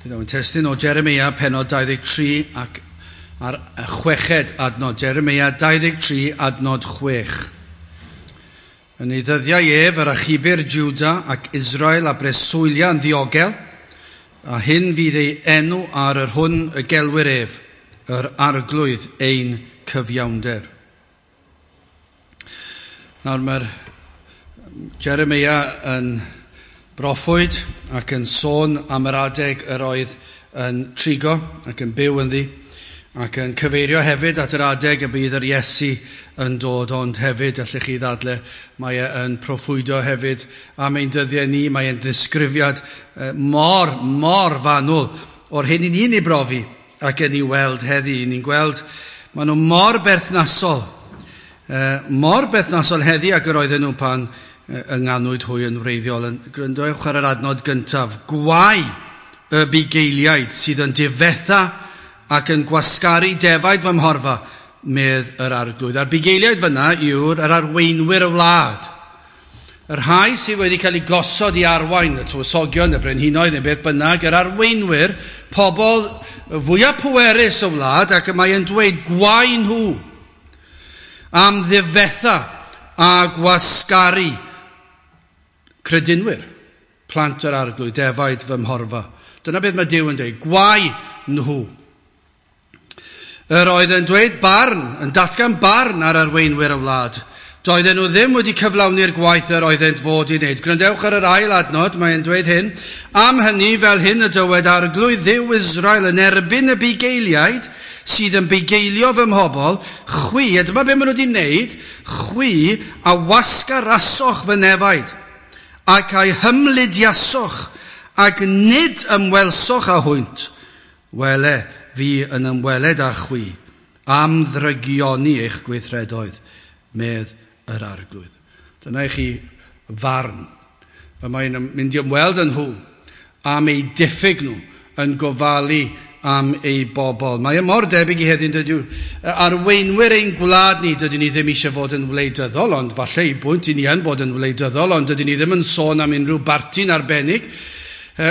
Bydd o'n testun o Jeremia pennod 23 ac ar y chweched adnod. Jeremia 23 adnod 6. Yn ei ddyddiau ef yr achubir Juda ac Israel a breswylia yn ddiogel, a hyn fydd ei enw ar yr hwn y gelwir ef, yr arglwydd ein cyfiawnder. Nawr mae'r Jeremia yn broffwyd ac yn sôn am yr adeg yr oedd yn trigo ac yn byw ynddi ac yn cyfeirio hefyd at yr adeg y bydd yr Iesu yn dod, ond hefyd, allech chi ddadle, mae e yn proffwydo hefyd am ein dyddiau ni, mae e'n ddisgrifiad mor, mor fanwl o'r hyn i ni'n ei brofi ac yn ei weld heddi. Ni'n gweld, maen nhw mor berthnasol, mor berthnasol heddi ac yr oedden nhw pan ynganwyd hwy yn wreiddiol. Yn gwrandewch ar yr adnod gyntaf. Gwae y bugeiliaid sydd yn difetha ac yn gwasgaru defaid fy mhorfa, medd yr arglwydd. A'r bugeiliaid fyna yw'r yr arweinwyr y wlad. Y rhai sydd wedi cael eu gosod i arwain, y tywysogion, y brenhinoedd, neu beth bynnag, yr arweinwyr, pobl fwyaf pwerus y wlad, ac mae yn dweud gwae nhw am ddifetha a gwasgaru credinwyr, plant yr arglwydd, defaid fy mhorfa. Dyna beth mae Duw yn dweud, gwae nhw. Yr oedd yn dweud barn, yn datgan barn ar arweinwyr y wlad. Doedden nhw ddim wedi cyflawni'r gwaith yr oeddent fod i wneud. Gwrandewch ar yr ail adnod, mae'n dweud hyn. Am hynny, fel hyn y dywed arglwydd Dduw Israel yn erbyn y bugeiliaid sydd yn bugeilio fy mhobl, chwi, a dyma beth maen nhw wedi wneud, chwi a wasgarasoch fy nefaid, ac a'i hymlidiasoch, ac nid ymwelsoch â hwynt. Wele, fi yn ymweled â chwi, am ddrygioni eich gweithredoedd, medd yr arglwydd. Dyna i chi farn. Fe mae'n mynd i ymweld yn nhw am eu diffyg nhw yn gofalu am eu bobl. Mae e mor debyg i heddiw, dydw. Arweinwyr ein gwlad ni, dydyn ni ddim eisiau fod yn wleidyddol, ond falle i bwynt i ni yn bod yn wleidyddol, ond dydyn ni ddim yn sôn am unrhyw barti'n arbennig,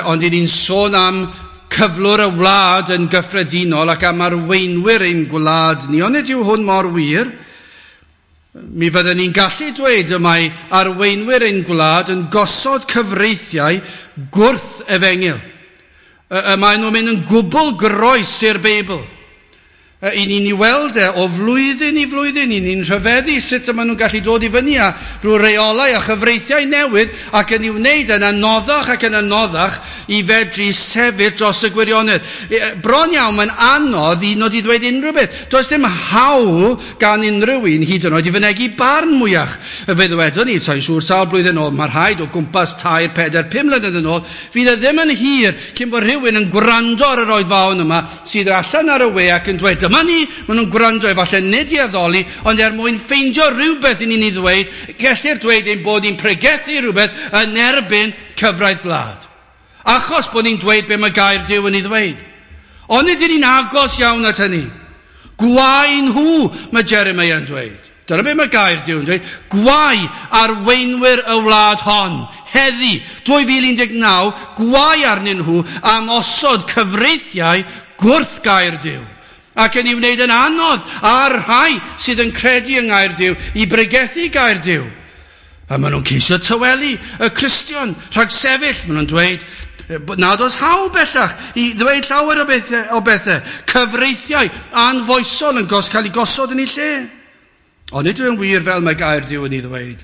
ond i ni'n sôn am cyflwr y wlad yn gyffredinol ac am arweinwyr ein gwlad ni. Ond nid yw hwn mor wir. Mi fydden ni'n gallu dweud y mae arweinwyr ein gwlad yn gosod cyfreithiau gwrth efengyl. Y maen nhw'n mynd yn gwbl groes i'r Beibl. I ni'n ei weld e o flwyddyn i flwyddyn, i ni'n rhyfeddu sut y maen nhw'n gallu dod i fyny â rhyw reolau a chyfreithiau newydd ac yn ei wneud yn anoddach ac yn anoddach i fedru sefyll dros y gwirionedd. Bron iawn mae'n anodd i nod i ddweud unrhyw beth. Does dim hawl gan unrhyw un hyd yn oed i fynegi barn mwyach. Fe ddwedwn ni, sa'n siŵr sawl blwyddyn ôl, mae rhaid o gwmpas 3, 4, 5 mlynedd yn ôl, fydd e ddim yn hir cyn bod rhywun yn gwrando ar yr oedfaon yma sydd allan ar y we ac yn dweud, dyma ni, maen nhw'n gwrando efallai nid i addoli, ond er mwyn ffeindio rhywbeth i ni'n ei ddweud, gellir dweud ein bod ni'n pregethu rhywbeth yn erbyn cyfraith gwlad. Achos bod ni'n dweud be mae gair Duw yn ei ddweud. Ond nid ni'n agos iawn at hynny. Gwae nhw, mae Jeremiah yn dweud. Dyna be mae gair Duw yn dweud. Gwae arweinwyr y wlad hon. Heddi, 2019, gwae arnyn nhw am osod cyfreithiau gwrth gair Duw. Ac yn ei wneud yn anodd ar rhai sydd yn credu yng ngair Duw i bregethu gair Duw. A maen nhw'n ceisio tawelu y Cristion rhag sefyll. Maen nhw'n dweud nad oes hawl bellach i ddweud llawer o bethau. Cyfreithiau anfoesol yn cael ei gosod yn ei lle. Ond nid yw'n wir fel mae gair Duw yn ei ddweud.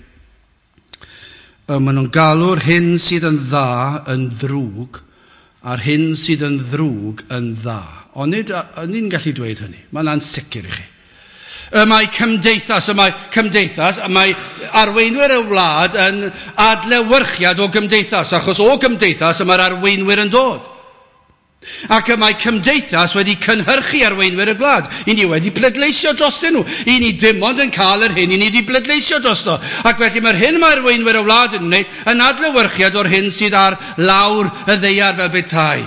Maen nhw'n galw'r hyn sydd yn dda yn ddrwg a'r hyn sydd yn ddrwg yn dda. Ond nid ni'n gallu dweud hynny. Mae'n ansicr i chi. Y mae cymdeithas, y mae arweinwyr y wlad yn adlewyrchiad o gymdeithas, achos o gymdeithas y mae'r arweinwyr yn dod. Ac y mae cymdeithas wedi cynhyrchu arweinwyr y gwlad. I ni wedi pleidleisio drostyn nhw. I ni dim ond yn cael yr hyn i ni wedi pleidleisio drosto. Ac felly mae'r hyn mae arweinwyr y wlad yn wneud yn adlewyrchiad o'r hyn sydd ar lawr y ddaear fel petai.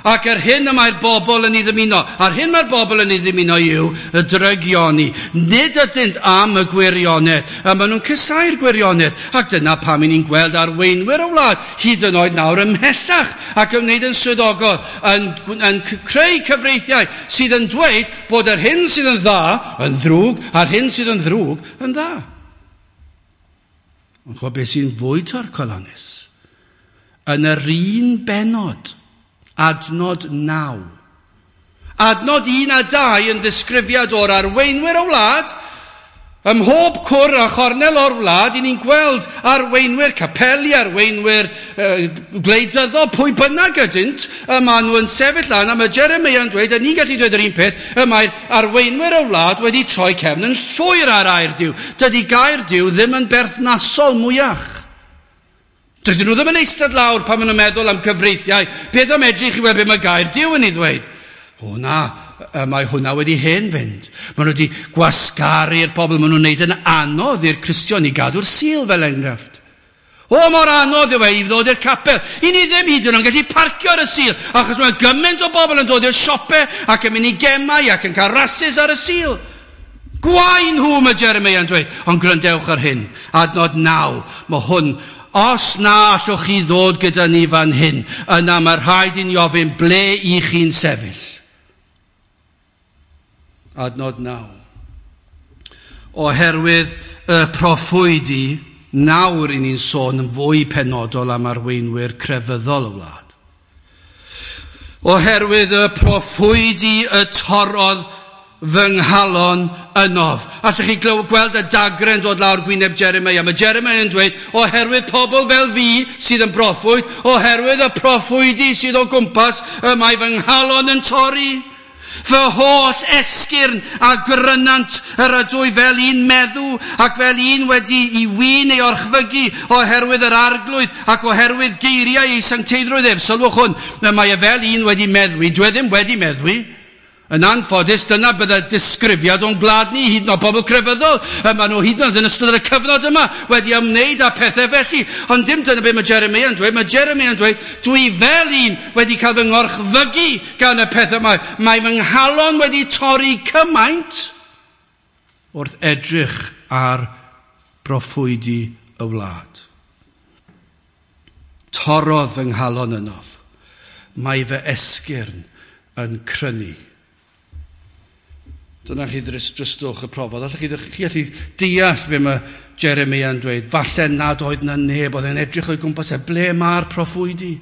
Ac yr hyn y mae'r bobl yn ei ddymuno, a'r hyn mae'r bobl yn ei ddymuno yw y drygioni. Nid ydynt am y gwirionedd, a maen nhw'n cysau'r gwirionedd. Ac dyna pam i ni'n gweld arweinwyr y wlad, hyd yn oed nawr ymhellach, ac yn wneud yn swyddogol, yn creu cyfreithiau sydd yn dweud bod yr hyn sydd yn dda yn ddrwg, a'r hyn sydd yn ddrwg yn dda. Ond chwa beth sy'n fwy torcalonnus? Yn yr un benod, adnod 9. Adnod 1 a 2 yn ddisgrifiad o'r arweinwyr y wlad. Ym mhob cwr a chornel o'r wlad, i ni'n gweld arweinwyr capeli, arweinwyr gwleidyddol, pwy bynnag ydynt, y maen nhw yn sefyll lan, a mae Jeremia yn dweud, a ni'n gallu dweud yr un peth, y mae'r arweinwyr y wlad wedi troi cefn yn llwyr ar air Duw. Dydy gair Duw ddim yn berthnasol mwyach. Dydyn nhw ddim yn eistedd lawr pan maen nhw'n meddwl am cyfreithiau. Beth am edrych i weld beth mae gair Duw yn ei ddweud? O na, mae hwnna wedi hen fynd. Maen nhw wedi gwasgaru'r pobl, maen nhw'n wneud yn anodd i'r Cristion i gadw'r Sul fel enghraifft. O, mor anodd yw e i ddod i'r capel. I ni ddim hyd yn oed yn gallu parcio ar y Sul, achos mae gymaint o bobl yn dod i'r siope ac yn mynd i gemau ac yn cael rasys ar y Sul. Gwae nhw, mae Jeremia yn dweud. Ond gwrandewch ar hyn, adnod 9, mae hwn, os na allwch chi ddod gyda ni fan hyn, yna mae rhaid i ni ofyn ble i chi'n sefyll. Adnod 9. Oherwydd y proffwydi, nawr i ni'n sôn yn fwy penodol am arweinwyr crefyddol y wlad. Oherwydd y proffwydi y torrodd fy nghalon ynof. Allwch chi gweld y dagre'n dod lawr gwyneb Jeremia. Mae Jeremia yn dweud, oherwydd pobl fel fi sydd yn broffwyd, oherwydd y proffwydi sydd o gwmpas, y mae fy nghalon yn torri. Fy holl esgyrn a grynant yr ydw i fel un meddw ac fel un wedi i win ei orchfygu oherwydd yr arglwydd ac oherwydd geiriau ei sancteiddrwydd ef. Sylwch hwn, mae e fel un wedi meddwi. Dwi ddim wedi meddwi. Yn anffodus, dyna bydde disgrifiad o'n gwlad ni, hyd yn oed pobl crefyddol. Maen nhw hyd yn oed yn ystod y cyfnod yma wedi ymwneud â pethau felly. Ond dim dyna beth mae Jeremia yn dweud. Mae Jeremia yn dweud, dwi fel un wedi cael fy ngorchfygu gan y pethau yma. Mae fy nghalon wedi torri cymaint wrth edrych ar broffwydi y wlad. Torrodd fy nghalon ynof. Mae fy esgyrn yn crynu. Dyna chi dristwch y profodd. Allwch chi allu deall be mae Jeremia yn dweud. Falle nad oedd na neb, oedd e'n edrych o'i gwmpas e. Ble mae'r proffwydi?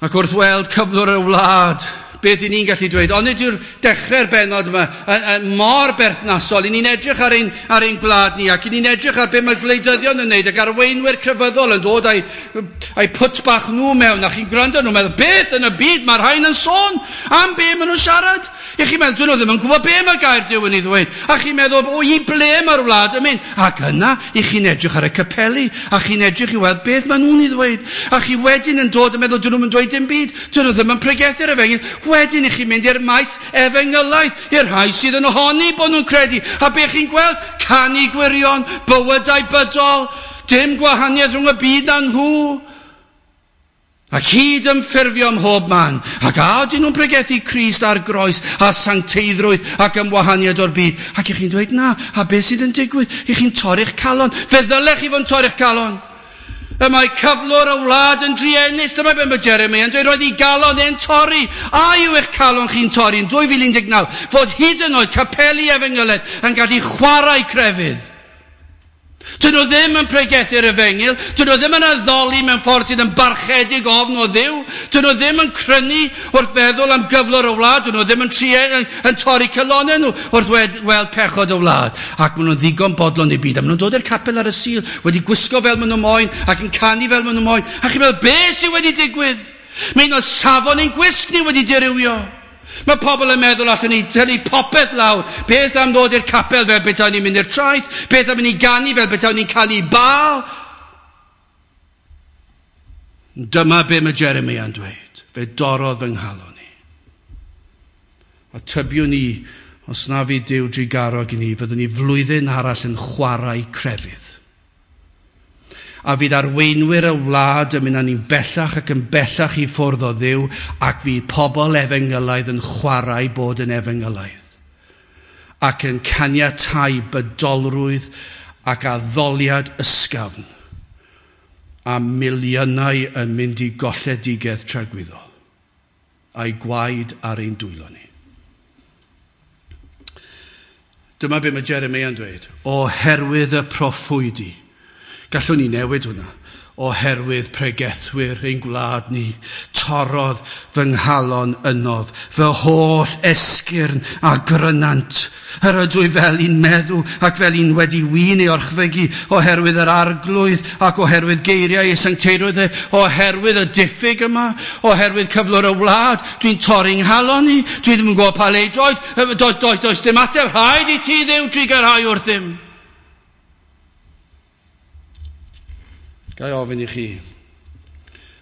Ac wrth weld cyflwr y wlad, beth i ni'n gallu dweud? Ond nid yw'r dechrau'r bennod yma yn mor berthnasol. I ni'n edrych ar ein gwlad ni, ac i ni'n edrych ar beth mae'r gwleidyddion yn wneud, ac arweinwyr crefyddol yn dod a'i pwt bach nhw mewn, a chi'n gwrando nhw'n meddwl, beth yn y byd mae'r rhain yn sôn? Am be maen nhw'n siarad? I chi'n meddwl, dyn nhw ddim yn gwybod be mae gair Duw yn ei ddweud. A chi'n meddwl, o, i ble mae'r wlad yn mynd? Ac yna, i chi'n edrych ar y capeli, a chi'n edrych i weld beth maen nhw'n ei ddweud. A chi wedyn yn dod yn meddwl, dyn nhw'n dweud dim byd, dyn nhw ddim yn pregethu'r efengyl. Wedyn i chi'n mynd i'r maes efengylaidd, i'r rhai sydd yn ohoni bod nhw'n credu. A be chi'n gweld? Canu gwirion, bywydau bydol, dim gwahaniaeth rhwng y byd a nhw. Ac hyd yn ffurfio ym mhob man. Ac a ydyn nhw'n pregethu Crist ar groes a sancteiddrwydd ac ymwahaniad o'r byd. Ac i chi'n dweud na, a beth sydd yn digwydd? I chi'n torri'ch calon. Fe ddylech chi fod yn torri'ch calon. Y mae cyflwr y wlad yn druenus. Dyma beth mae Jeremia yn dweud, roedd ei galon e'n torri. A yw eich calon chi'n torri yn 2019? Fod hyd yn oed capeli efengylaidd yn gallu chwarae crefydd. Dyn nhw ddim yn pregethu'r efengyl, dyn nhw ddim yn addoli mewn ffordd sydd yn barchedig ofn o Dduw, dyn nhw ddim yn crynu wrth feddwl am gyflwr y wlad, dyn nhw ddim yn torri calonnau nhw wrth weld pechod y wlad. Ac maen nhw'n ddigon bodlon i byd, a maen nhw'n dod i'r capel ar y Sul, wedi gwisgo fel maen nhw moyn, ac yn canu fel maen nhw moyn. A chi'n meddwl, be sydd wedi digwydd? Mae un o safon ein gwisg ni wedi dirywio. Mae pobl yn meddwl allan ni tynnu popeth lawr. Beth am ddod i'r capel fel betawn ni'n mynd i'r traeth? Beth am mynd i ganu fel betawn ni'n canu Baal? Dyma be mae Jeremia yn dweud. Fe dorrodd fy nghalon i. A tybiwn ni, os na fu Duw drugarog i ni, fyddwn ni flwyddyn arall yn chwarae crefydd. A fydd arweinwyr y wlad yn mynd â ni'n bellach ac yn bellach i ffwrdd o Dduw, ac fydd pobl efengylaidd yn chwarae bod yn efengylaidd, ac yn caniatáu bydolrwydd ac addoliad ysgafn, a miliynau yn mynd i golledigaeth tragwyddol, a'i gwaed ar ein dwylo ni. Dyma be mae Jeremiah yn dweud. Oherwydd y proffwydi. Gallwn ni newid hwnna. Oherwydd pregethwyr ein gwlad ni, torrodd fy nghalon ynof, fy holl esgyrn a grynant. Yr ydw i fel un meddw ac fel un wedi win ei orchfygu, oherwydd yr arglwydd ac oherwydd geiriau ei sancteirwydd e, oherwydd y diffyg yma, oherwydd cyflwr y wlad, dwi'n torri nghalon i, dwi ddim yn gwybod pa le i droed, does dim ateb, rhaid i ti Dduw trugarhau wrthym. Ga i ofyn i chi,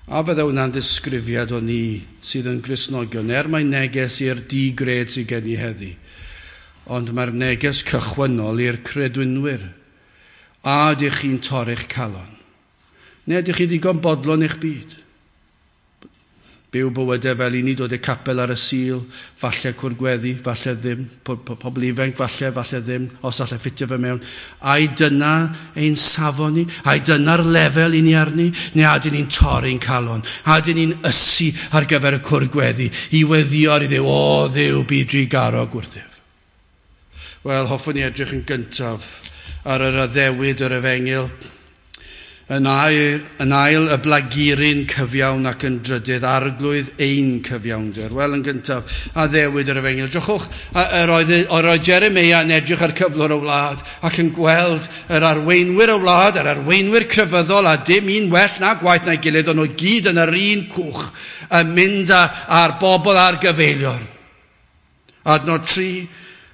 a fydde hwnna'n ddisgrifiad o ni sydd yn Gristnogion, er mae neges i'r digred sydd gen i heddi, ond mae'r neges cychwynnol i'r credwynwyr. A ydych chi'n torri'ch calon? Neu ydych chi ddigon bodlon eich byd? Byw bywydau fel i ni dod i'r capel ar y Sul, falle cwrdd gweddi, falle ddim, pobl ifanc, falle, falle ddim, os allai ffitio fe mewn. Ai dyna ein safon ni? Ai dyna'r lefel i ni arni? Neu a dyn ni'n torri'n calon? A dyn ni'n ysu ar gyfer y cwrdd gweddi, i weddio ar i Dduw, o Dduw, bu drugarog wrthyf. Wel, hoffwn i edrych yn gyntaf ar yr addewid yr efengyl. Yn ail, y blaguryn cyfiawn ac yn drydydd, arglwydd ein cyfiawnder. Wel, yn gyntaf, addewid yr efengyl. Drychwch, yr oedd Jeremia yn edrych ar cyflwr y wlad ac yn gweld yr arweinwyr y wlad, yr arweinwyr crefyddol, a dim un well na gwaith na'i gilydd, ond nhw gyd yn yr un cwch, yn mynd â'r bobl a'r gyfeilion. Adnod 3,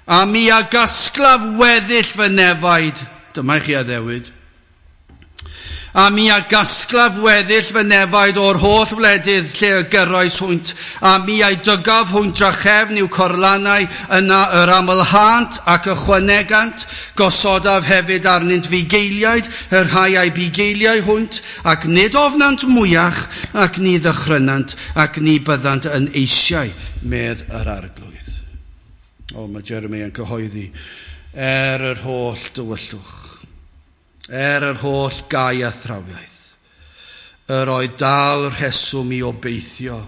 a mi a gasglaf weddill fy nefaid. Dyma i chi addewid. A mi a gasglaf weddill fy nefaid o'r holl wledydd lle y gyrroes hwynt, a mi a'i dygaf hwynt drachefn i'w corlannau, yna yr amlhânt ac ychwanegant, gosodaf hefyd arnynt fugeiliaid, y rhai a'i bugeiliau hwynt, ac nid ofnant mwyach, ac ni ddychrynant, ac ni byddant yn eisiau, medd yr arglwydd. O, mae Jeremiah yn cyhoeddi, er yr holl dywyllwch, er yr holl gau a thrawiaeth, yr oedd dal rheswm i obeithio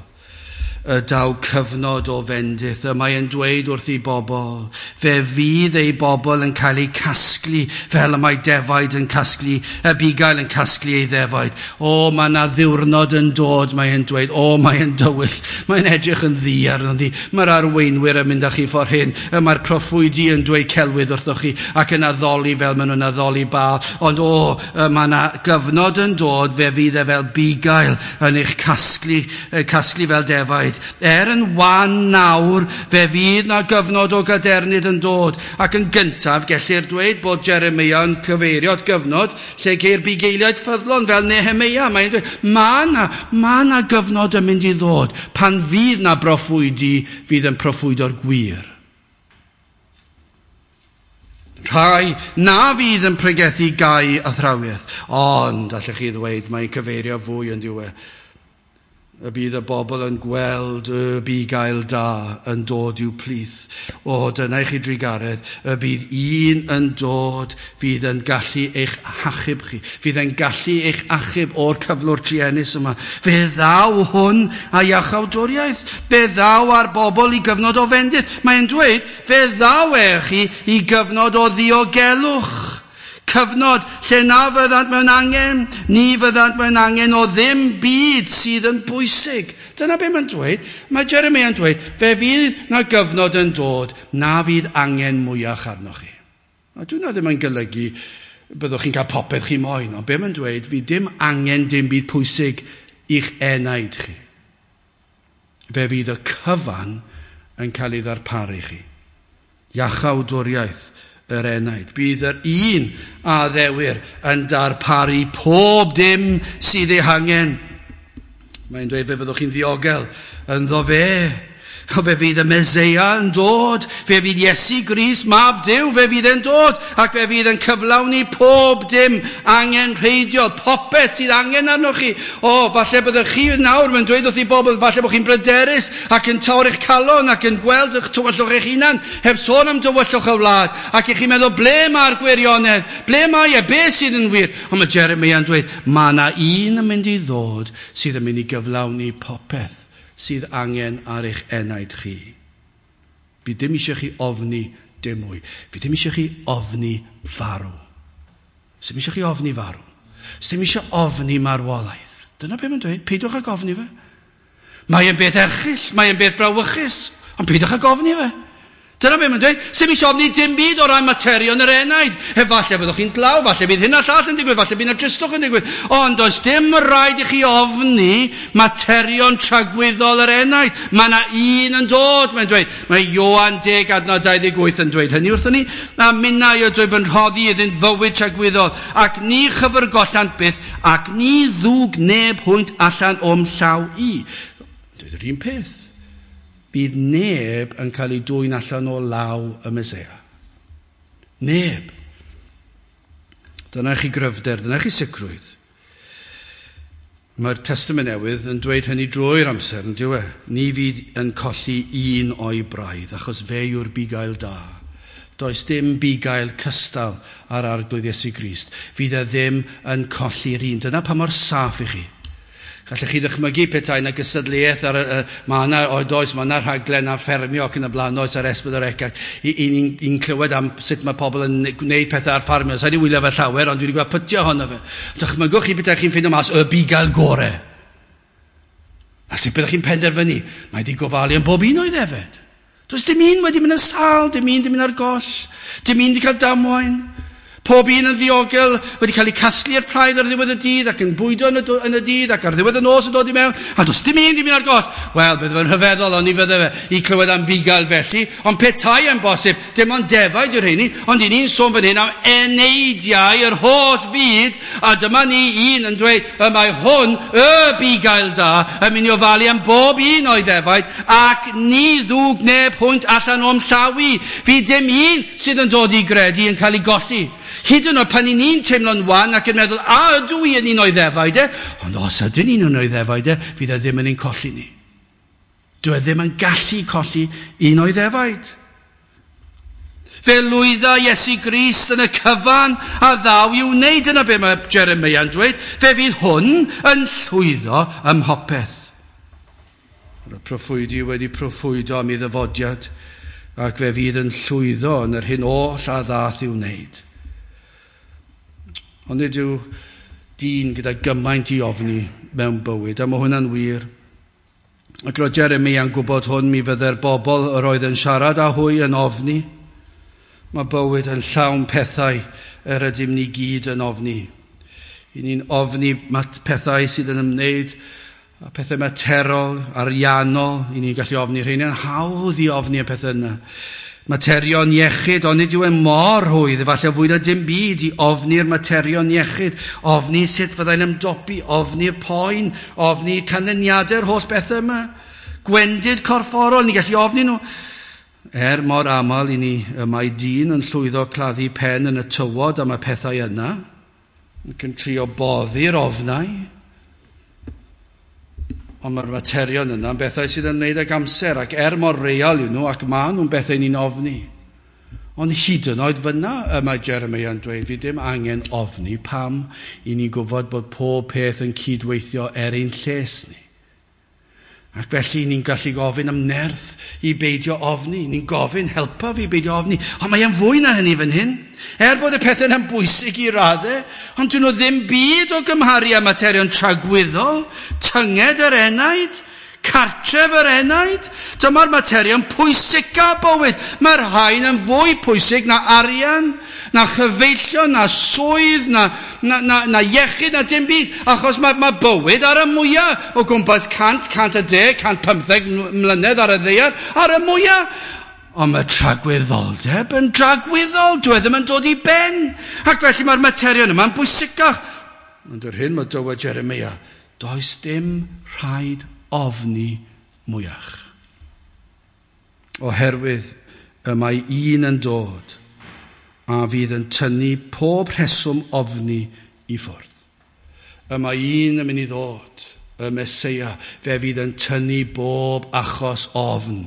y daw cyfnod o fendith. Y mae yn dweud wrth ei bobl, fe fydd ei bobl yn cael eu casglu fel y mae defaid yn casglu, y bugail yn casglu ei ddefaid. O, mae yna ddiwrnod yn dod, mae yn dweud, o, mae yn dywyll, mae'n edrych yn ddu arno ni. Mae'r arweinwyr yn mynd â chi ffordd hyn, y mae'r proffwydi yn dweud celwydd wrthoch chi ac yn addoli fel maen nhw'n addoli Baal. Ond o, mae yna gyfnod yn dod, fe fydd e fel bugail yn eich casglu fel defaid. Er yn wan nawr, fe fydd na gyfnod o gadernid yn dod. Ac yn gyntaf, gellir dweud bod Jeremia yn cyfeirio at gyfnod lle ceir bugeiliaid ffyddlon fel Nehemia. Mae'n dweud, mae na gyfnod yn mynd i ddod pan fydd na broffwydi fydd yn proffwydo'r gwir. Rhai na fydd yn pregethu gau athrawiaeth. Ond, allech chi ddweud, mae'n cyfeirio fwy yn diwedd. Y bydd y bobl yn gweld y bugail da yn dod i'w plith. O, dyna i chi drugaredd, y bydd un yn dod fydd yn gallu eich achub chi, fydd yn gallu eich achub o'r cyflwr truenus yma. Fe ddaw hwn a iachawdwriaeth, fe ddaw ar bobl i gyfnod o fendith. Mae'n dweud, fe ddaw e chi i gyfnod o ddiogelwch. Cyfnod lle na fyddant mewn angen, ni fyddant mewn angen o ddim byd sydd yn bwysig. Dyna be mae'n dweud. Mae Jeremia yn dweud, fe fydd na gyfnod yn dod, na fydd angen mwyach arnoch chi. A dyna ddim yn golygu byddwch chi'n cael popeth chi moyn, ond be mae'n dweud, fydd dim angen dim byd pwysig i'ch enaid chi. Fe fydd y cyfan yn cael ei ddarparu chi. Iachawdwriaeth yr enaid. Bydd yr un a ddewir yn darparu pob dim sydd ei hangen. Mae'n dweud fe fyddwch chi'n ddiogel ynddo fe. Fe fydd y Meseia yn dod, fe fydd Iesu Grist, mab Duw, fe fydd e'n dod, ac fe fydd yn cyflawni pob dim angenrheidiol, popeth sydd angen arnoch chi. O, falle byddwch chi nawr, mae'n dweud wrth i bobl, falle bod chi'n bryderus ac yn torri'ch calon ac yn gweld eich tywyllwch eich hunan, heb sôn am dywyllwch y wlad, ac i chi'n meddwl, ble mae'r gwirionedd? Ble mae e? Be sydd yn wir? Ond mae Jeremia yn dweud, mae yna un yn mynd i ddod sydd yn mynd i gyflawni popeth sydd angen ar eich enaid chi. Fi ddim eisiau chi ofni dim mwy. Fi ddim eisiau chi ofni farw. Ddim eisiau chi ofni farw. Ddim eisiau ofni marwolaeth. Dyna beth mae'n dweud, peidiwch ag ofni fe. Mae e'n beth erchyll, mae e'n beth brawychus, ond peidiwch ag ofni fe. Dyna beth mae'n dweud. Sdim eisiau ofni dim byd o ran materion yr enaid. Efallai fyddwch chi'n dlaw, falle bydd hyn a llall yn digwydd, falle bydd yna dristwch yn digwydd. Ond does dim rhaid i chi ofni materion tragwyddol yr enaid. Mae yna un yn dod, mae'n dweud. Mae Ioan 10 adnod 28 yn dweud hynny wrthon ni. A minnau ydw fy rhoddi iddynt fywyd tragwyddol, ac ni chyfyrgollant byth, ac ni ddwg neb hwynt allan o'm llaw i. Dweud yr un peth. Bydd neb yn cael ei dwyn allan o law y Meseia. Neb. Dyna chi gryfder, dyna chi sicrwydd. Mae'r Testament Newydd yn dweud hynny drwy'r amser, yn dyw e? Ni fydd yn colli un o'i braidd, achos fe yw'r bugail da. Does dim bugail cystal ar Arglwydd Iesu Grist. Fydd e ddim yn colli'r un. Dyna pa mor saff i chi. Gallech chi ddychmygu petai yna gystadleuaeth ar mae yna oes, mae yna rhaglen ar ffermio ac yn y blaen, oes ar S4C, ac i'n clywed am sut mae pobl yn gwneud pethau ar ffarmio. Sa i wedi wylio fe llawer, ond dwi wedi gweld pytio ohono fe. Dychmygwch chi petai chi'n ffeindio mas y bugail gore. A sut byddwch chi'n penderfynu? Mae wedi gofalu am bob un o'i ddefed. Does dim un wedi mynd yn sâl, dim un wedi mynd ar goll, dim un wedi cael damwain. Pob un yn ddiogel wedi cael ei casglu i'r praidd ar ddiwedd y dydd ac yn bwydo yn y dydd ac ar ddiwedd y nos yn dod i mewn, a does dim un wedi mynd ar goll. Wel, bydde fe'n rhyfeddol, ond ni fydde fe i clywed am fugail felly, ond petai yn bosib, dim ond defaid yw'r rheini, ond i ni'n sôn fan hyn am eneidiau yr holl fyd, a dyma ni un yn dweud, y mae hwn, y bugail da, yn mynd i ofalu am bob un o'i ddefaid, ac ni ddwg neb hwynt allan o'm llaw i. Fydd dim un sydd yn dod i gredu yn cael ei golli. Hyd yn oed pan i ni'n teimlo'n wan ac yn meddwl, a ydw i yn un o'i ddefaid e? Ond os ydyn ni'n un o'i ddefaid e, fydd e ddim yn ein colli ni. Dyw e ddim yn gallu colli un o'i ddefaid. Fe lwydda Iesu Grist yn y cyfan a ddaw i'w wneud. Dyna be mae Jeremia yn dweud. Fe fydd hwn yn llwyddo ym mhopeth. Mae'r proffwydi wedi proffwydo am ei ddyfodiad, ac fe fydd yn llwyddo yn yr hyn oll a ddath i'w wneud. Ond nid yw dyn gyda gymaint i ofni mewn bywyd, a mae hwnna'n wir. Ac roedd Jeremia yn gwybod hwn, mi fydde'r bobl yr oedd yn siarad â hwy yn ofni. Mae bywyd yn llawn pethau yr ydym ni gyd yn ofni. I ni'n ofni pethau sydd yn ymwneud â pethau materol, ariannol. I ni'n gallu ofni rheiny, yn hawdd i ofni y pethau yna. Materion iechyd, ond nid yw e mor rhwydd, efallai fwy na dim byd i ofni'r materion iechyd, ofni sut fyddai'n ymdopi, ofni'r poen, ofni canlyniadau'r holl bethau yma. Gwendid corfforol, ni'n gallu ofni nhw. Er mor aml i ni, y mae dyn yn llwyddo claddu pen yn y tywod am y pethau yna, ac yn trio boddi'r ofnau. Ond mae'r materion yna yn bethau sydd yn wneud ag amser, ac er mor real yw nhw, ac maen nhw'n bethau ni'n ofni. Ond hyd yn oed fyna, y mae Jeremia yn dweud, fi ddim angen ofni pam i ni'n gwybod bod pob peth yn cydweithio er ein lles ni. Ac felly ni'n gallu gofyn am nerth i beidio ofni. Ni'n gofyn, helpa fi beidio ofni. Ond mae e'n fwy na hynny fan hyn. Er bod y pethau yna'n bwysig i raddau, ond dyn nhw ddim byd o gymharu â materion tragwyddol, tynged yr enaid, cartref yr enaid. Dyma'r materion pwysica bywyd. Mae'r rhain yn fwy pwysig na arian, na chyfeillion, na swydd, na iechyd, na dim byd. Achos mae bywyd ar y mwyaf o gwmpas 100, 110, 115 mlynedd ar y ddaear, ar y mwyaf. Ond mae tragwyddoldeb yn dragwyddol, dyw e ddim yn dod i ben. Ac felly mae'r materion yma'n bwysicach. Ond yr hyn mae dywed Jeremia, does dim rhaid ofni mwyach. Oherwydd y mae un yn dod a fydd yn tynnu pob rheswm ofni i ffwrdd. Y mae un yn mynd i ddod, y Meseia, fe fydd yn tynnu bob achos ofn.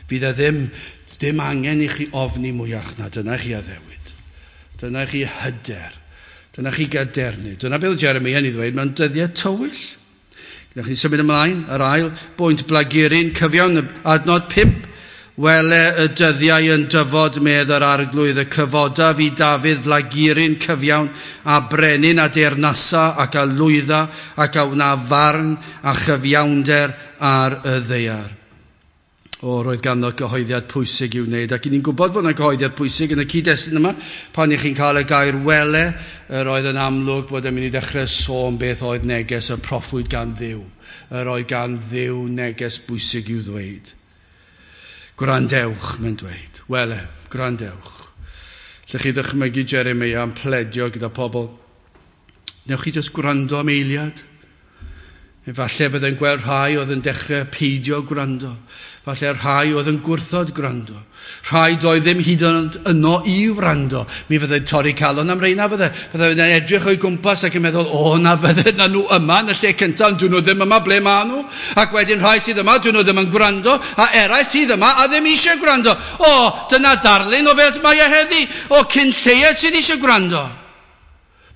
Fydd e ddim angen i chi ofni mwyach na, dyna chi addewid. Dyna chi hyder. Dyna chi gadernid. Dyna beth Jeremia yn ei ddweud mewn dyddiau tywyll. Gyda chi'n symud ymlaen, yr ail bwynt, blaguryn cyfiawn, adnod 5. Wele y dyddiau yn dyfod, medd yr arglwydd, y cyfodaf i Dafydd flaguryn cyfiawn, a brenin a deyrnasa ac a lwydda ac a wna farn a chyfiawnder ar y ddaear. O, roedd ganddo gyhoeddiad pwysig i'w wneud, ac i ni'n gwybod fod yna gyhoeddiad pwysig yn y cyd-destun yma, pan i chi'n cael y gair wele, yr oedd yn amlwg bod e'n mynd i ddechrau sôn beth oedd neges y proffwyd gan Dduw. Yr oedd gan Dduw neges bwysig i'w ddweud. Gwrandewch, mae'n dweud. Wele, gwrandewch. Lle chi ddychmygu Jeremia yn pledio gyda pobl. Newch chi jyst gwrando am eiliad? Efallai byddai'n gweld rhai oedd yn dechrau peidio gwrando. Falle rhai oedd yn gwrthod gwrando. Rhai doedd ddim hyd yn oed yno i wrando. Mi fyddai'n torri calon am reina fydde. Byddai'n edrych o'i gwmpas ac yn meddwl, o, na fydde na nhw yma yn y lle cyntaf, ond dyn nhw ddim yma, ble maen nhw? Ac wedyn rhai sydd yma, dyn nhw ddim yn gwrando, a eraill sydd yma a ddim eisiau gwrando. O, dyna darlun o fel mae e heddi, o cyn lleied sydd eisiau gwrando.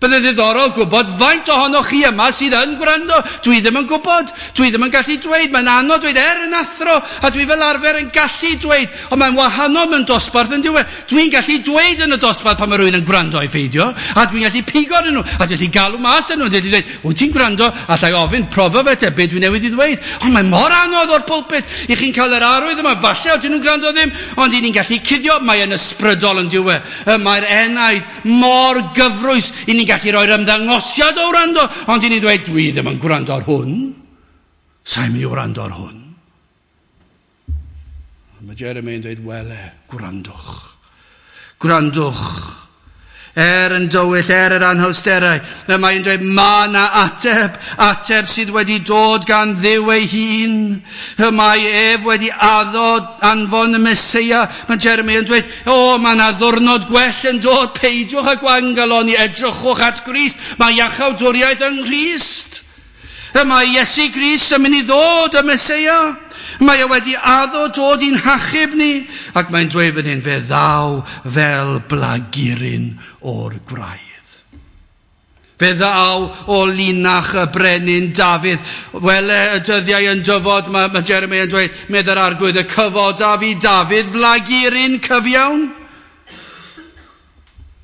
Byddai'n ddiddorol gwybod faint ohonoch chi yma sydd yn gwrando. Dwi ddim yn gwybod. Dwi ddim yn gallu dweud. Mae'n anodd dweud er yn athro, a dwi fel arfer yn gallu dweud. Ond mae'n wahanol mewn dosbarth yn diwedd. Dwi'n gallu dweud yn y dosbarth pan mae rhywun yn gwrando i pheidio, a dwi'n gallu pigo arnyn nhw, a dwi'n gallu galw mas arnyn nhw, dwi'n gallu dweud, wyt ti'n gwrando? Alla i ofyn, profa fe te, be dwi newydd i ddweud. Ond mae mor anodd o'r pulpit. I chi'n cael yr arwydd yma, falle odyn nhw'n gwrando ddim, ond i ni'n gallu cuddio, mae yn ysbrydol yn diwedd. Mae'r enaid mor gyfrwys, i ni'n gallu rhoi'r ymddangosiad o wrando, ond i ni'n dweud, dwi ddim yn gwrando ar hwn. Sa'n mynd i wrando ar hwn. Mae Jeremy yn dweud, wele, gwrandwch. Gwrandwch. Er yn dywyll, er yr anhawsterau. Mae'n dweud, mae yna ateb, ateb sydd wedi dod gan Dduw ei hun. Mae ef wedi addo anfon y Meseia. Mae Jeremy yn dweud, o, mae yna ddwrnod gwell yn dod, peidiwch â gwangaloni, edrychwch at Grist. Mae iachawdwriaeth yng Nghrist. Mae Iesu Grist yn mynd i ddod, y Meseia. Mae e wedi addo dod i'n hachub ni, ac mae'n dweud fan hyn, fe ddaw fel blaguryn o'r gwraidd. Fe ddaw o linach y brenin Dafydd. Wele y dyddiau yn dyfod, mae Jeremia yn dweud, medd yr arglwydd, y cyfodaf i Dafydd flaguryn cyfiawn.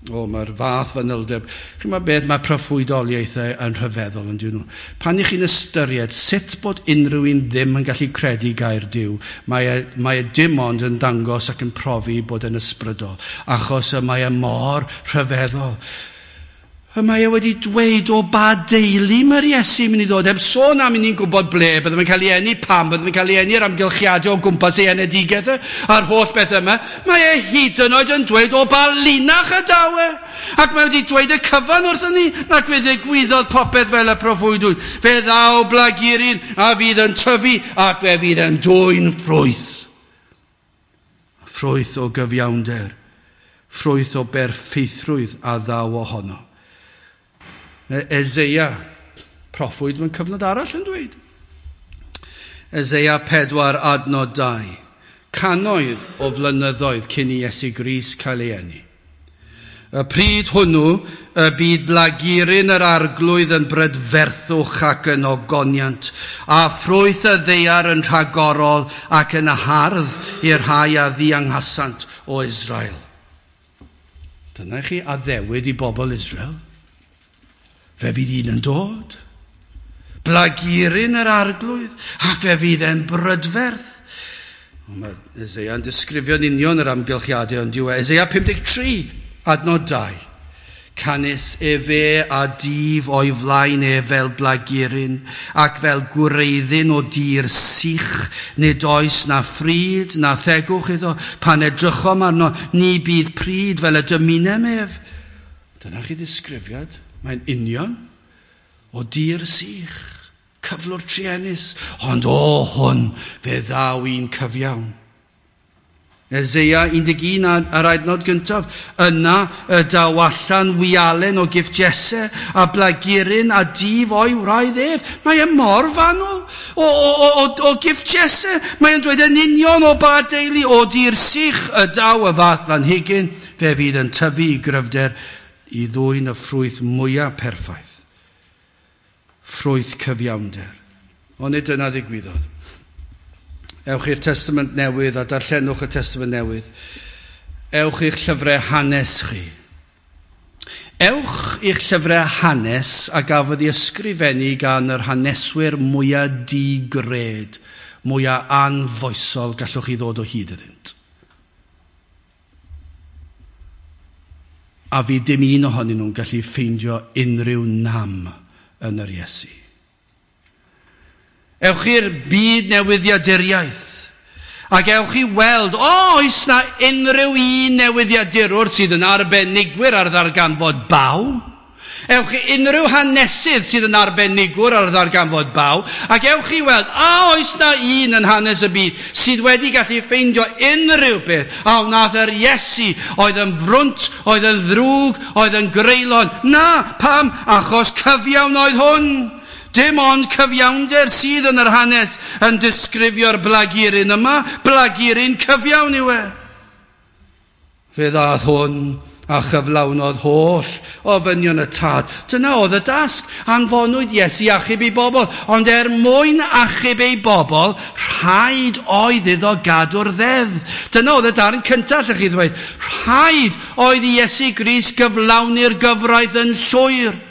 O, mae'r fath fanyldeb. Chi'n meddwl beth mae proffwydoliaethau yn rhyfeddol yn dyn nhw. Pan i chi'n ystyried sut bod unrhyw un ddim yn gallu credu gair Duw, mae e dim ond yn dangos ac yn profi bod yn ysbrydol, achos y mae e mor rhyfeddol. Y mae e wedi dweud o ba deulu mae'r Iesu mynd i ddod, heb sôn am i ni'n gwybod ble, bydde fe'n cael ei eni pam, bydde fe'n cael ei eni yr amgylchiadau o gwmpas ei enedigaeth e, a'r holl beth yma. Mae e hyd yn oed yn dweud o ba linach y daw e. Ac mae wedi dweud y cyfan wrthon ni, ac fe ddigwyddodd popeth fel y proffwydwyd. Fe ddaw blaguryn a fydd yn tyfu ac fe fydd yn dwyn ffrwyth. Ffrwyth o gyfiawnder, ffrwyth o berffeithrwydd a ddaw ohono. Eseia, proffwyd mewn cyfnod arall yn dweud. Eseia 4 adnod 2. Cannoedd o flynyddoedd cyn i Iesu Grist cael ei eni. Y pryd hwnnw, y byd blaguryn yr arglwydd yn brydferthwch ac yn ogoniant, a ffrwyth y ddaear yn rhagorol ac yn hardd i'r rhai a ddianghasant o Israel. Dyna chi addewid i bobl Israel. Fe fydd un yn dod. Blaguryn yr arglwydd, a fe fydd e'n brydferth. Mae Eseia yn disgrifio'n union yr amgylchiadau yn diwedd. Eseia 53, adnod 2. Canys efe a dyf o'i flaen e fel blaguryn, ac fel gwreiddyn o dir sych, nid oes na phryd na thegwch iddo, pan edrychom arno, ni bydd pryd fel y dymunem ef. Dyna chi ddisgrifiad. Mae'n union o dir sych, cyflwr truenus, ond o hwn fe ddaw un cyfiawn. Eseia 11 a'r adnod gyntaf. Yna y daw allan wialen o gyff Jesse a blaguryn a dif o'i wraidd ef. Mae e mor fanwl o gyff Jesse. Mae e'n dweud yn union o ba deulu o dir sych y daw y fath blanhigyn. Fe fydd yn tyfu i gryfder i ddwyn y ffrwyth mwyaf perffaith. Ffrwyth cyfiawnder. Ond nid dyna ddigwyddodd. Ewch i'r Testament Newydd a darllenwch y Testament Newydd. Ewch i'ch llyfrau hanes chi. Ewch i'ch llyfrau hanes a gafodd ei ysgrifennu gan yr haneswyr mwyaf digred, mwyaf anfoesol gallwch chi ddod o hyd iddynt. A fi dim un ohonyn nhw'n gallu ffeindio unrhyw nam yn yr Iesu. Ewch i'r byd newyddiaduriaeth ac ewch i weld, oes na unrhyw un newyddiadurwr sydd yn arbenigwyr ar ddarganfod baw? Ewch i unrhyw hanesydd sydd yn arbenigwr ar ddarganfod baw, ac ewch i weld, a oes na un yn hanes y byd sydd wedi gallu ffeindio unrhyw beth a wnaeth yr Iesu oedd yn frwnt, oedd yn ddrwg, oedd yn greulon. Na, pam? Achos cyfiawn oedd hwn. Dim ond cyfiawnder sydd yn yr hanes yn disgrifio'r blaguryn yma. Blaguryn cyfiawn yw e. Fe ddath hwn a chyflawnodd holl ofynion y tad. Dyna oedd y dasg. Anfonwyd Iesu achub ei bobl. Ond er mwyn achub ei bobl, rhaid oedd iddo gadw'r ddeddf. Dyna oedd y darn cyntaf, allwch chi ddweud. Rhaid oedd i Iesu Grist gyflawni'r gyfraith yn llwyr.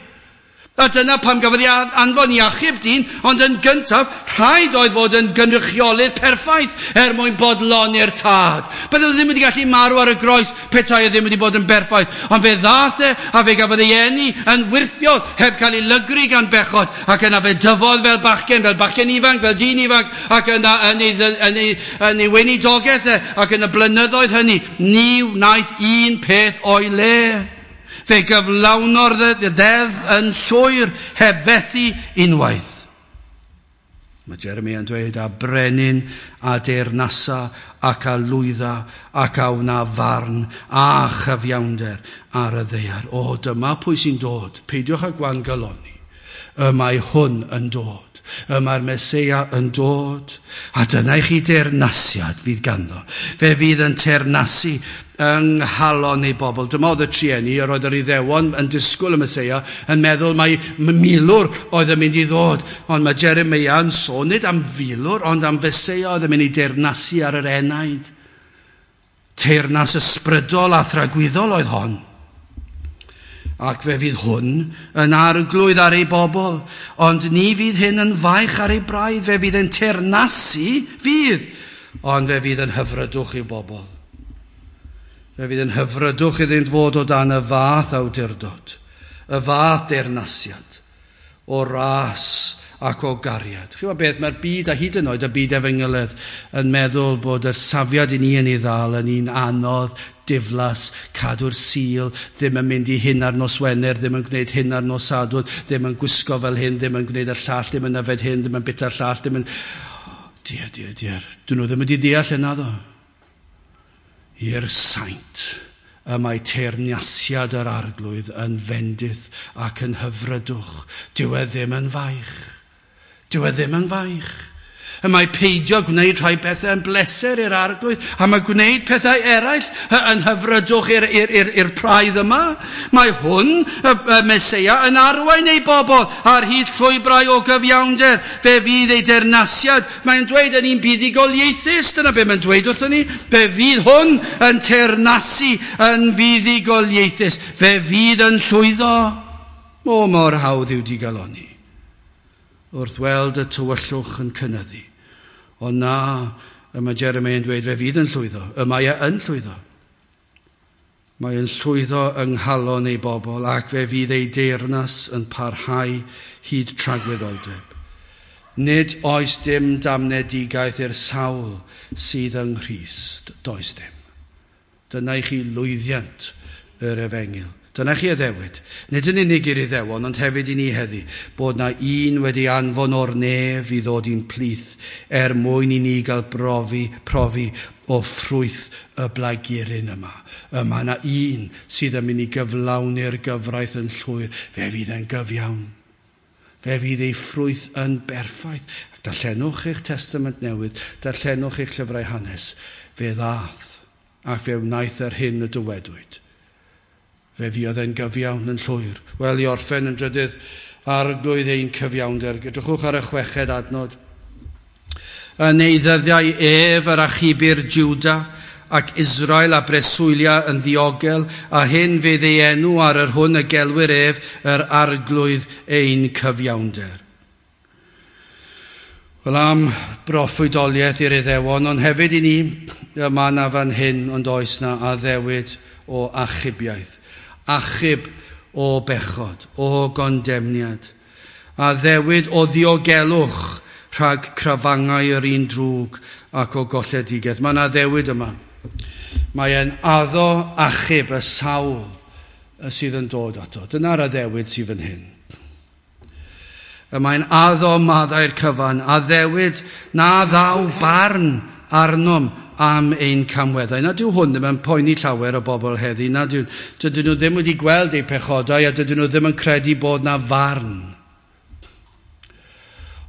A dyna pam gafodd ei anfon i achub dyn, ond yn gyntaf, rhaid oedd fod yn gynrychiolydd perffaith er mwyn bodloni'r tad. Bydde ddim wedi gallu marw ar y groes petai e ddim wedi bod yn berffaith. Ond fe ddath e a fe gafodd ei eni yn wyrthiol, heb cael ei lygru gan bechod, ac yna fe dyfodd fel bachgen ifanc, fel dyn ifanc, ac yna yn ei weinidogaeth e, ac yn y blynyddoedd hynny, ni wnaeth un peth o'i le. Fe gyflawnodd y ddeddf yn llwyr heb fethu unwaith. Mae Jeremia yn dweud, a brenin a deyrnasa ac a lwydda ac a wna farn a chyfiawnder ar y ddaear. O, dyma pwy sy'n dod. Peidiwch â gwangaloni. Y mae hwn yn dod. Y mae'r Meseia yn dod. A dyna i chi deyrnasiad fydd ganddo. Fe fydd yn teyrnasu yng nghalon ei bobl. Dyma oedd y trueni, yr oedd yr Iddewon yn disgwyl y Meseia, yn meddwl mai milwr oedd yn mynd i ddod. Ond mae Jeremia yn sôn nid am filwr, ond am Feseia oedd yn mynd i deyrnasu ar yr enaid. Teyrnas ysbrydol a thragwyddol oedd hon. Ac fe fydd hwn yn arglwydd ar ei bobl, ond ni fydd hyn yn faich ar ei braidd, fe fydd yn teyrnasu, fydd, ond fe fydd yn hyfrydwch i'w bobl. Fe fydd yn hyfrydwch iddynt fod o dan y fath awdurdod, y fath deyrnasiad, o ras ac o gariad. Chi'n gwybod beth, mae'r byd a hyd yn oed y byd efengylydd yn meddwl bod y safiad i ni yn ei ddal yn un anodd, diflas, cadw'r Sul, ddim yn mynd i hyn ar nos Wener, ddim yn gwneud hyn ar nos Sadwrn, ddim yn gwisgo fel hyn, ddim yn gwneud y llall, ddim yn yfed hyn, ddim yn bita'r llall, ddim yn... Diar, diar, diar. Dyn nhw ddim wedi deall yna ddo. I'r saint y mae teyrnasiad yr arglwydd yn fendith ac yn hyfrydwch. Dyw e ddim yn faich. Dyw e ddim yn faich. Y mae peidio gwneud rhai pethau yn bleser i'r arglwydd, a mae gwneud pethau eraill yn hyfrydwch i'r praidd yma. Mae hwn, y Meseia, yn arwain ei bobl ar hyd llwybrau o gyfiawnder. Fe fydd ei deyrnasiad. Mae'n dweud yn un buddugoliaethus, dyna be mae'n dweud wrthon ni. Fe fydd hwn yn teyrnasu yn fuddugoliaethus. Fe fydd yn llwyddo. O, mor hawdd yw digalonni wrth weld y tywyllwch yn cynyddu. Ond na, y mae Jeremia yn dweud, fe fydd yn llwyddo. Y mae e yn llwyddo. Mae e'n llwyddo yng nghalon ei bobl ac fe fydd ei deyrnas yn parhau hyd tragwyddoldeb. Nid oes dim damnedigaeth i'r sawl sydd yng Nghrist. Does dim. Dyna i chi lwyddiant yr efengyl. Dyna chi addewid. Nid yn unig i'r Iddewon, ond hefyd i ni heddi, bod na un wedi anfon o'r nef i ddod i'n plith er mwyn i ni gael profi o ffrwyth y blaguryn yma. Y mae na un sydd yn mynd i gyflawni'r gyfraith yn llwyr. Fe fydd yn gyfiawn. Fe fydd ei ffrwyth yn berffaith. Ac darllenwch eich Testament Newydd, darllenwch eich llyfrau hanes. Fe ddath ac fe wnaeth yr hyn y dywedwyd. Fe fuodd e'n gyfiawn yn llwyr. Wel, i orffen yn drydydd, Arglwydd ein cyfiawnder. Edrychwch ar y chweched adnod. Yn ei ddyddiau ef yr achubir Juda ac Israel a breswylia yn ddiogel, a hyn fydd ei enw ar yr hwn y gelwir ef, yr Arglwydd ein cyfiawnder. Wel, am broffwydoliaeth i'r Iddewon, ond hefyd i ni, yma na fan hyn, ond oes na addewid o achubiaeth. Achub o bechod, o gondemniad. Addewid o ddiogelwch rhag crafangau yr un drwg ac o golledigaeth. Mae yna addewid yma. Mae e'n addo achub y sawl sydd yn dod ato. Dyna'r addewid sydd fan hyn. Y mae'n addo maddau'r cyfan, addewid na ddaw barn arnom am ein camweddau. Na dyw hwn ddim yn poeni llawer o bobl heddi. Na dyw, dydyn nhw ddim wedi gweld eu pechodau a dydyn nhw ddim yn credu bod na farn.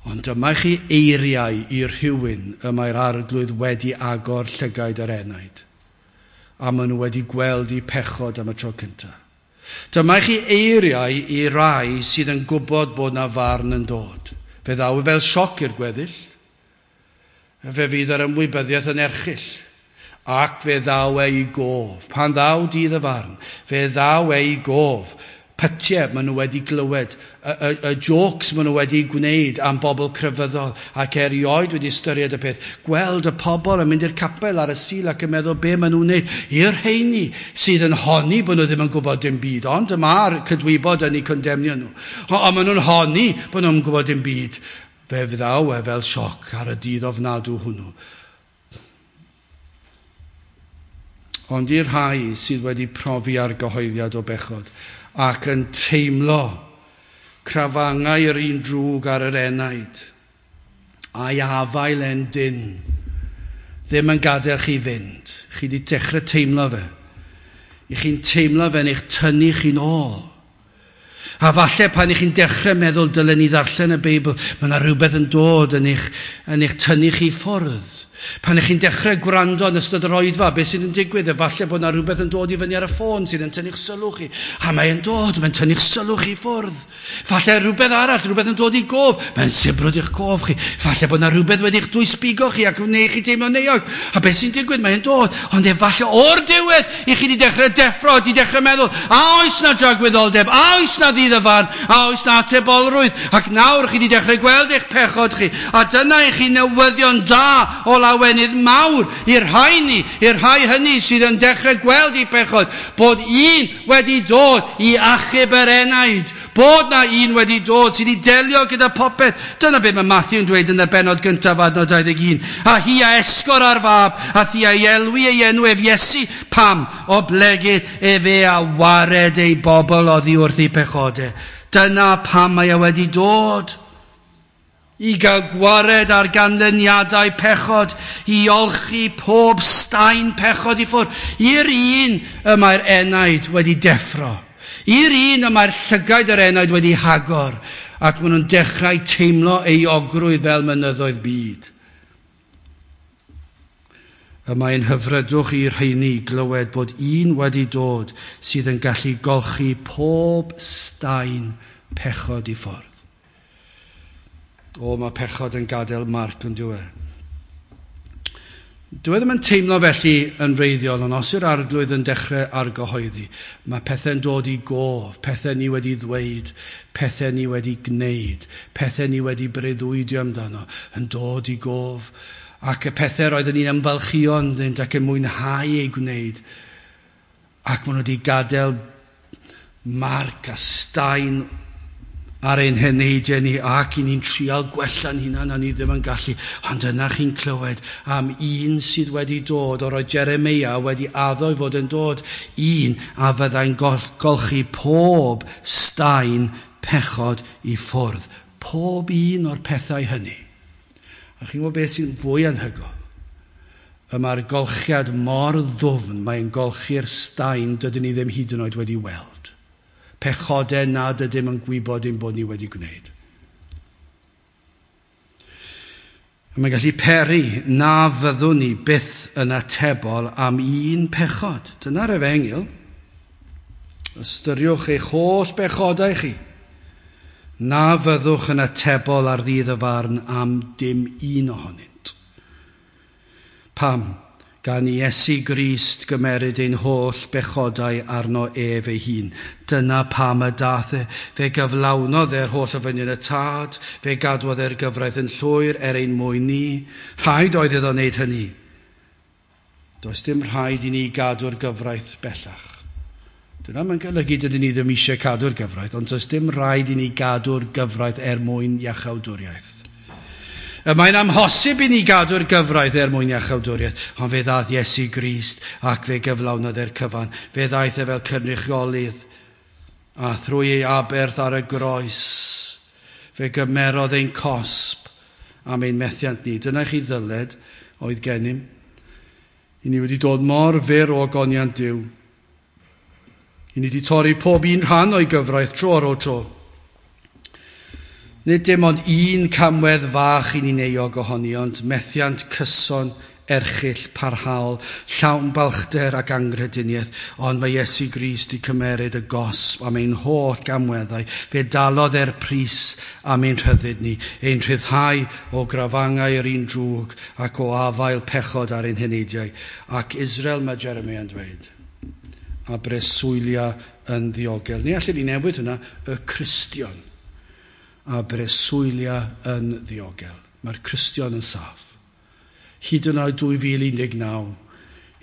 Ond dyma chi eiriau i rhywun y mae'r Arglwydd wedi agor llygaid yr enaid. A maen nhw wedi gweld eu pechod am y tro cyntaf. Dyma chi eiriau i rai sydd yn gwybod bod na farn yn dod. Fe ddaw fel sioc i'r gweddill. Fe fydd yr ymwybyddiaeth yn erchyll. Ac fe ddaw ei gof. Pan ddaw dydd y farn, fe ddaw ei gof. Pytiau maen nhw wedi glywed, y jokes maen nhw wedi gwneud am bobl crefyddol ac erioed wedi ystyried y peth. Gweld y pobl yn mynd i'r capel ar y Sul ac yn meddwl be maen nhw'n wneud. I'r rheini sydd yn honni bod nhw ddim yn gwybod dim byd, ond y mae'r cydwybod yn eu condemnio nhw. Ond maen nhw'n honni bod nhw'n gwybod dim byd. Fe ddaw e fel sioc ar y dydd ofnadw hwnnw. Ond i'r rhai sydd wedi profi argyhoeddiad o bechod ac yn teimlo crafangau yr un drwg ar yr enaid, a'i afael e'n dyn, ddim yn gadael chi fynd. Chi wedi dechrau teimlo fe. I chi'n teimlo fe'n eich tynnu chi'n ôl. A falle pan i chi'n dechrau meddwl dylen ni ddarllen y Beibl, mae yna rhywbeth yn dod yn eich tynnu chi ffwrdd. Pan ych chi'n dechrau gwrando yn ystod yr oedfa, beth sydd yn digwydd? Efallai bod yna rhywbeth yn dod i fyny ar y ffôn sydd yn tynnu'ch sylw chi. A mae'n dod, mae'n tynnu'ch sylw chi ffwrdd. Falle rhywbeth arall, rhywbeth yn dod i gof. Mae'n sibrwd i'ch gof chi. Falle bod yna rhywbeth wedi'ch dwysbigo chi ac wneud chi teimlo'n euog. A beth sy'n digwydd? Mae'n dod. Ond efallai o'r diwedd i chi wedi dechrau deffro, wedi dechrau meddwl, a oes na dragwyddoldeb, a oes na ddydd y farn, a oes na atebolrwydd. Ac nawr chi wedi dechrau gweld eich pechod chi. A dyna i chi newyddion da o lawenydd mawr i'r rhai ni, i'r rhai hynny sydd yn dechrau gweld eu pechod, bod un wedi dod i achub yr enaid, bod na un wedi dod sydd wedi delio gyda popeth. Dyna beth mae Matthew yn dweud yn y bennod gyntaf adnod 21. A hi a esgor ar fab, a thi a elwi ei enw ef Iesu, pam? Oblegid efe a wared ei bobl oddi wrth ei pechodau. Dyna pam mae e wedi dod. I gael gwared ar ganlyniadau pechod, i olchi pob staen pechod i ffwrdd. I'r un y mae'r enaid wedi deffro. I'r un y mae'r llygaid yr enaid wedi hagor, ac maen nhw'n dechrau teimlo euogrwydd fel mynyddoedd byd. Y mae'n hyfrydwch i'r rheini glywed bod un wedi dod sydd yn gallu golchi pob staen pechod i ffwrdd. O, mae pechod yn gadael marc yn dyw e. Dyw e ddim yn teimlo felly yn wreiddiol, ond os yw'r Arglwydd yn dechrau argyhoeddi, mae pethau'n dod i gof, pethau ni wedi ddweud, pethau ni wedi gwneud, pethau ni wedi breuddwydio amdano, yn dod i gof, ac y pethau roedden ni'n ymfalchïo ynddynt ac yn mwynhau eu gwneud, ac maen nhw wedi gadael marc a staen ar ein heneidiau ni ac i ni'n trial gwella'n hunan a ni ddim yn gallu. Ond yna chi'n clywed am un sydd wedi dod, o'r oedd Jeremia wedi addo i fod yn dod, un a fyddai'n golchi pob staen pechod i ffwrdd. Pob un o'r pethau hynny. A chi'n gwybod beth sy'n fwy anhygoel? Y mae'r golchiad mor ddwfn, mae'n golchi'r staen dydyn ni ddim hyd yn oed wedi weld. Pechodau nad ydym yn gwybod ein bod ni wedi gwneud. A mae'n gallu peri na fyddwn ni byth yn atebol am un pechod. Dyna'r efengyl. Ystyriwch eich holl bechodau chi. Na fyddwch yn atebol ar ddydd y farn am dim un ohonynt. Pam? Gan Iesu Grist gymeryd ein holl bechodau arno ef ei hun. Dyna pam y dath e. Fe gyflawnodd e'r holl ofynion y Tad, fe gadwodd e'r gyfraith yn llwyr er ein mwyn ni. Rhaid oedd iddo wneud hynny. Does dim rhaid i ni gadw'r gyfraith bellach. Dyna mae'n golygu dydyn ni ddim eisiau cadw'r gyfraith, ond does dim rhaid i ni gadw'r gyfraith er mwyn iachawdwriaeth. Y mae'n amhosib i ni gadw'r gyfraith er mwyn iachawdwriaeth, ond fe ddaeth Iesu Grist ac fe gyflawnodd e'r cyfan. Fe ddaeth e fel cynrychiolydd, a thrwy ei aberth ar y groes, fe gymerodd ein cosb am ein methiant ni. Dyna chi ddyled oedd gennym. I ni wedi dod mor fyr o ogoniant Duw. I ni wedi torri pob un rhan o'i gyfraith tro ar ôl tro. Nid dim ond un camwedd fach i ni'n euog ohoni, ond methiant cyson, erchyll, parhaol, llawn balchder ac anghrediniaeth, ond mae Iesu Grist wedi cymeryd y gosb am ein holl gamweddau. Fe dalodd e'r pris am ein rhyddid ni, ein rhyddhau o grafangau yr un drwg ac o afael pechod ar ein heneidiau. Ac Israel, mae Jeremiah yn dweud, a breswylia yn ddiogel. Ni allan ni newid hwnna, y Cristion a breswylia yn ddiogel. Mae'r Cristion yn saff. Hyd yn oed 2019,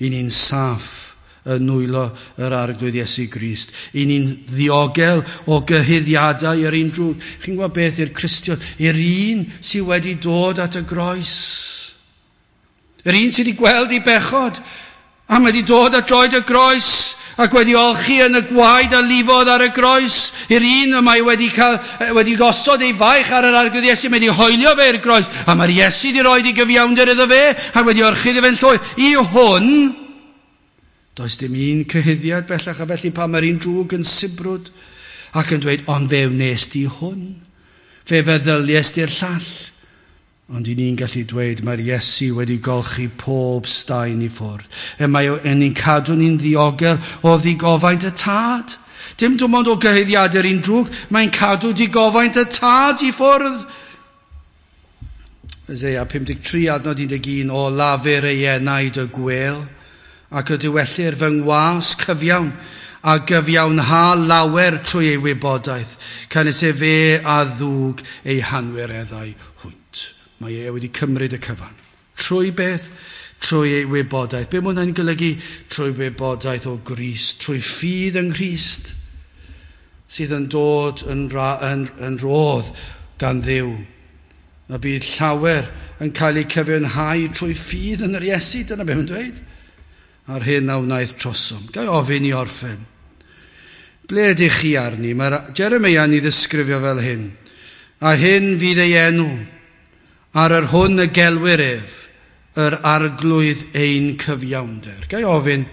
i ni'n saff yn nwylo yr Arglwydd Iesu Grist. I ni'n ddiogel o gyhuddiadau yr un drwg. Chi'n gwybod beth i'r Cristion? I'r un sydd wedi dod at y groes. Yr un sydd wedi gweld ei bechod, a mae wedi dod at droed y groes ac wedi olchi yn y gwaed a lifodd ar y groes. I'r un y mae wedi gosod ei faich ar yr Arglwydd Iesu, mae wedi hoelio fe i'r groes, a mae'r Iesu wedi rhoi ei gyfiawnder iddo fe, a wedi orchudd fe'n llwyr. I hwn, does dim un cyhuddiad bellach, a felly pan mae'r un drwg yn sibrwd ac yn dweud, ond fe wnes di hwn, fe feddylies di'r llall. Ond i ni'n gallu dweud, mae'r Iesu wedi golchi pob staen i ffwrdd. E mae ni'n cadw ni'n ddiogel o ddigofaint y Tad. Dim dim ond o gyhuddiadau'r un drwg, mae'n cadw digofaint y Tad i ffwrdd. Isaiah 53 adnod 11, o lafur ei enaid y gwel, ac y diwellir fy ngwas cyfiawn, a gyfiawnha lawer trwy ei wybodaeth, canys efe a ddwg ei hanwireddau hwynt. Mae e wedi cymryd y cyfan. Trwy beth? Trwy ei wybodaeth. Be mae hwnna'n golygu? Trwy wybodaeth o Grist, trwy ffydd yng Nghrist, sydd yn dod yn rodd gan Dduw. A bydd llawer yn cael eu cyfiawnhau trwy ffydd yn yr Iesu, dyna beth mae'n dweud. A'r hyn a wnaeth trosom. Ga i ofyn i orffen. Ble ydych chi arni? Mae Jeremia yn ei ddisgrifio fel hyn. A hyn fydd ei enw, ar yr hwn y gelwir ef, yr Arglwydd ein cyfiawnder. Ga i ofyn,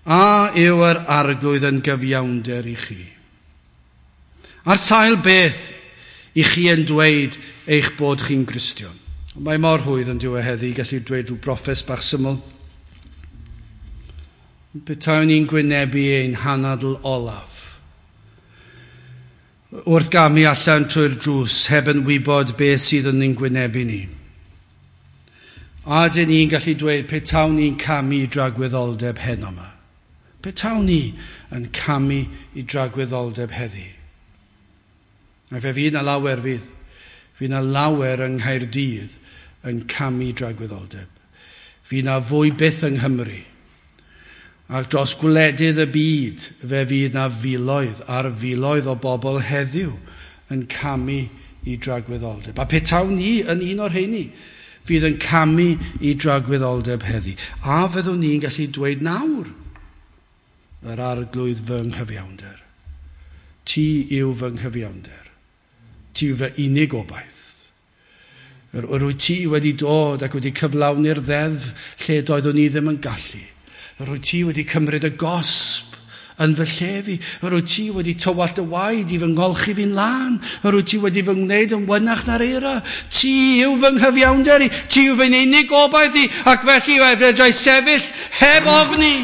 a yw yr Arglwydd yn gyfiawnder i chi? Ar sail beth i chi yn dweud eich bod chi'n Gristion? Mae mor hwydd yn diwedd heddi gallu dweud rhyw broffes bach syml. Petawn ni'n gwynebu ein hanadl olaf, wrth gamu allan trwy'r drws, heb yn wybod beth sydd yn ein gwynebu ni. A dyn ni'n gallu dweud petawn ni'n camu i dragwyddoldeb heno yma. Petawn ni yn camu i dragwyddoldeb heddi. A fe fydd na lawer fydd. Fydd na lawer yng Nghaerdydd yn camu i dragwyddoldeb. Fydd na fwy byth yng Nghymru. Ac dros gwledydd y byd, fe fydd na filoedd ar filoedd o bobl heddiw yn camu i dragwyddoldeb. A petawn ni yn un o'r rheini fydd yn camu i dragwyddoldeb heddi. A fyddwn ni'n gallu dweud nawr, yr arglwydd fy nghyfiawnder. Ti yw fy nghyfiawnder. Ti yw fy unig obaith. Yr wyt ti wedi dod ac wedi cyflawni'r ddeddf lle doeddwn ni ddim yn gallu. Yr wyt ti wedi cymryd y gosb yn fy lle fi. Yr wyt ti wedi tywallt y waed i fy ngolchi fi'n lân. Yr wyt ti wedi fy ngwneud yn wynach na'r eira. Ti yw fy nghyfiawnder i. Ti yw fy unig obaith i. Ac felly fedrai sefyll heb ofni.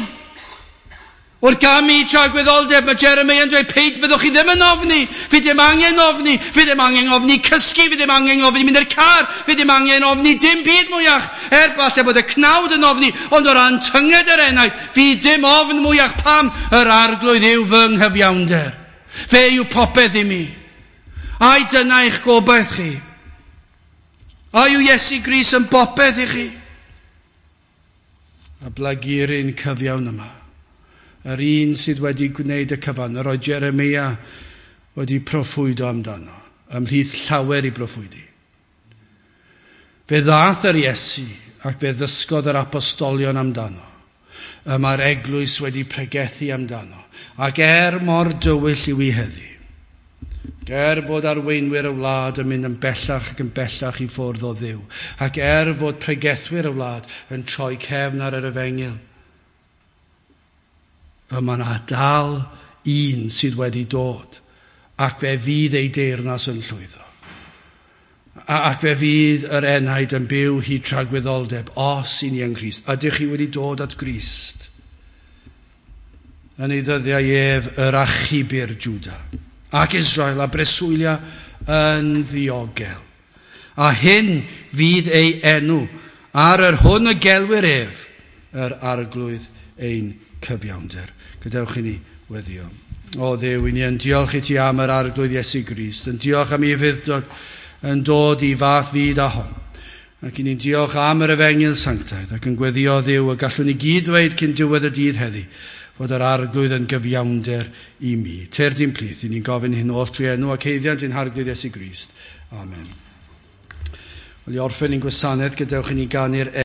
Wrth gamu i tragwyddoldeb, mae Jeremiah yn dweud, peid byddwch chi ddim yn ofni. Fi ddim angen ofni. Fi ddim angen ofni cysgu. Fi ddim angen ofni mynd i'r car. Fi ddim angen ofni dim byd mwyach. Er falle bod y cnawd yn ofni, ond o ran tynged yr enaid, fi dim ofn mwyach. Pam? Yr arglwydd yw fy nghyfiawnder. Fe yw popeth i mi. Ai dyna eich gobaith chi? A yw Iesu Grist yn bopeth i chi? A blaguryn cyfiawn yma. Yr un sydd wedi gwneud y cyfan, yr oedd Jeremia wedi proffwydo amdano, ymhlith llawer i broffwydi. Fe ddath yr Iesu ac fe ddysgodd yr apostolion amdano. Y mae'r eglwys wedi pregethu amdano. Ac er mor dywyll yw i heddi, er fod arweinwyr y wlad yn mynd yn bellach ac yn bellach i ffwrdd o Dduw, ac er fod pregethwyr y wlad yn troi cefn ar yr efengyl, y mae yna dal un sydd wedi dod, ac fe fydd ei deyrnas yn llwyddo. Ac fe fydd yr enaid yn byw hyd tragwyddoldeb, os i ni yng Nghrist. Ydych chi wedi dod at Grist? Yn ei ddyddiau ef yr achubir Jwda, ac Israel a breswylia yn ddiogel. A hyn fydd ei enw, ar yr hwn y gelwir ef, yr arglwydd ein cyfiawnder. Gadewch i ni weddio. O Dduw, i ni yn diolch i ti am yr arglwydd Iesu Grist, yn diolch am ei ufudd-dod yn dod i fath fyd a hon. Ac i ni'n diolch am yr efengyl sanctaidd ac yn gweddio Dduw y gallwn ni gyd ddweud cyn diwedd y dydd heddi fod yr arglwydd yn gyfiawnder i mi. Tyrd i'n plith, i ni'n gofyn hyn oll trwy enw ac haeddiant ein harglwydd Iesu Grist. Amen. Wel, i orffen ein gwasanaeth, gadewch i ni ganu'r